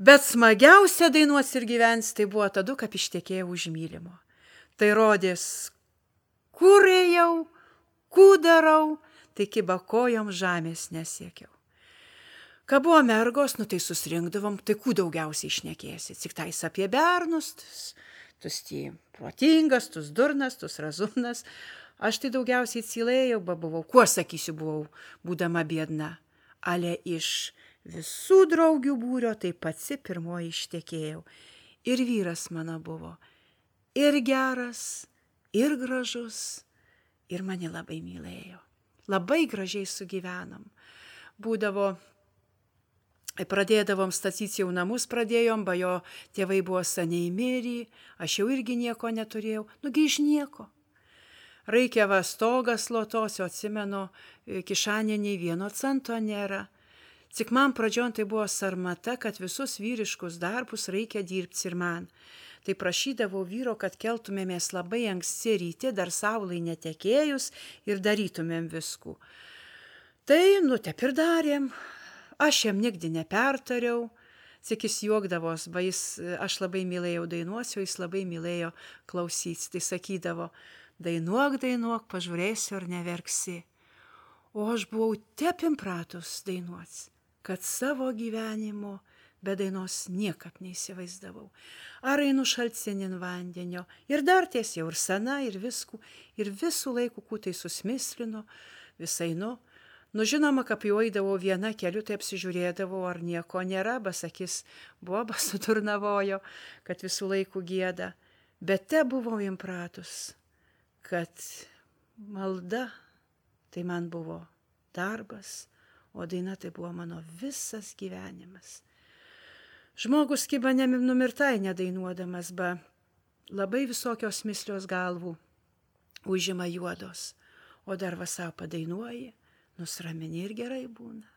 Bet smagiausia dainuos ir gyvens, tai buvo tada, kaip ištekėjau už mylimo. Tai rodės, kur ėjau, kur darau, tai kiba kojom žemės nesiekiau. Ką buvo mergos, tai susirinkdavom, tai kuo daugiausiai išnekėsi. Tik tais apie bernus, tus protingas, tus durnas, tus razumnas. Aš tai daugiausiai cilėjau, buvau, kuo sakysiu, buvau, būdama biedna. Ale iš visų draugių būrio tai pati pirmoji ištekėjau. Ir vyras mano buvo ir geras, ir gražus, ir mane labai mylėjo. Labai gražiai sugyvenom. Būdavo, pradėdavom statyti jau namus, pradėjom, jo tėvai buvo seniai mirę, aš jau irgi nieko neturėjau, nugi iš nieko. Reikėva stogas lotosio, atsimenu, kišanė nei 1 cento nėra. Tik man pradžion tai buvo sarmata, kad visus vyriškus darbus reikia dirbti ir man. Tai prašydavau vyro, kad keltumėmės labai anksti ryte, dar saulai netekėjus ir darytumėm viskų. Tai, taip ir darėm. Aš jam nigdy nepertariau, tik jis juokdavos, aš labai mylėjau dainuosiu, jis labai mylėjo klausytis. Tai sakydavo, dainuok, pažiūrėsiu ar neverksi. O aš buvau taip impratus dainuoti, kad savo gyvenimo be dainos niekap neįsivaizdavau. Ar einu šaltsenin vandenio, ir dar ties jau ir sena, ir viskų, ir visų laikų kūtai susmislino, visainu. Žinoma, kaip jau eidavau viena keliu, tai apsižiūrėdavau, ar nieko nėra, basakis boba suturnavojo, kad visų laikų gieda. Bet te buvau impratus, kad malda tai man buvo darbas, o daina tai buvo mano visas gyvenimas. Žmogus kiba numirtai nedainuodamas, labai visokios mislios galvų užima juodos, o dar vasą padainuoji, nusramini ir gerai būna.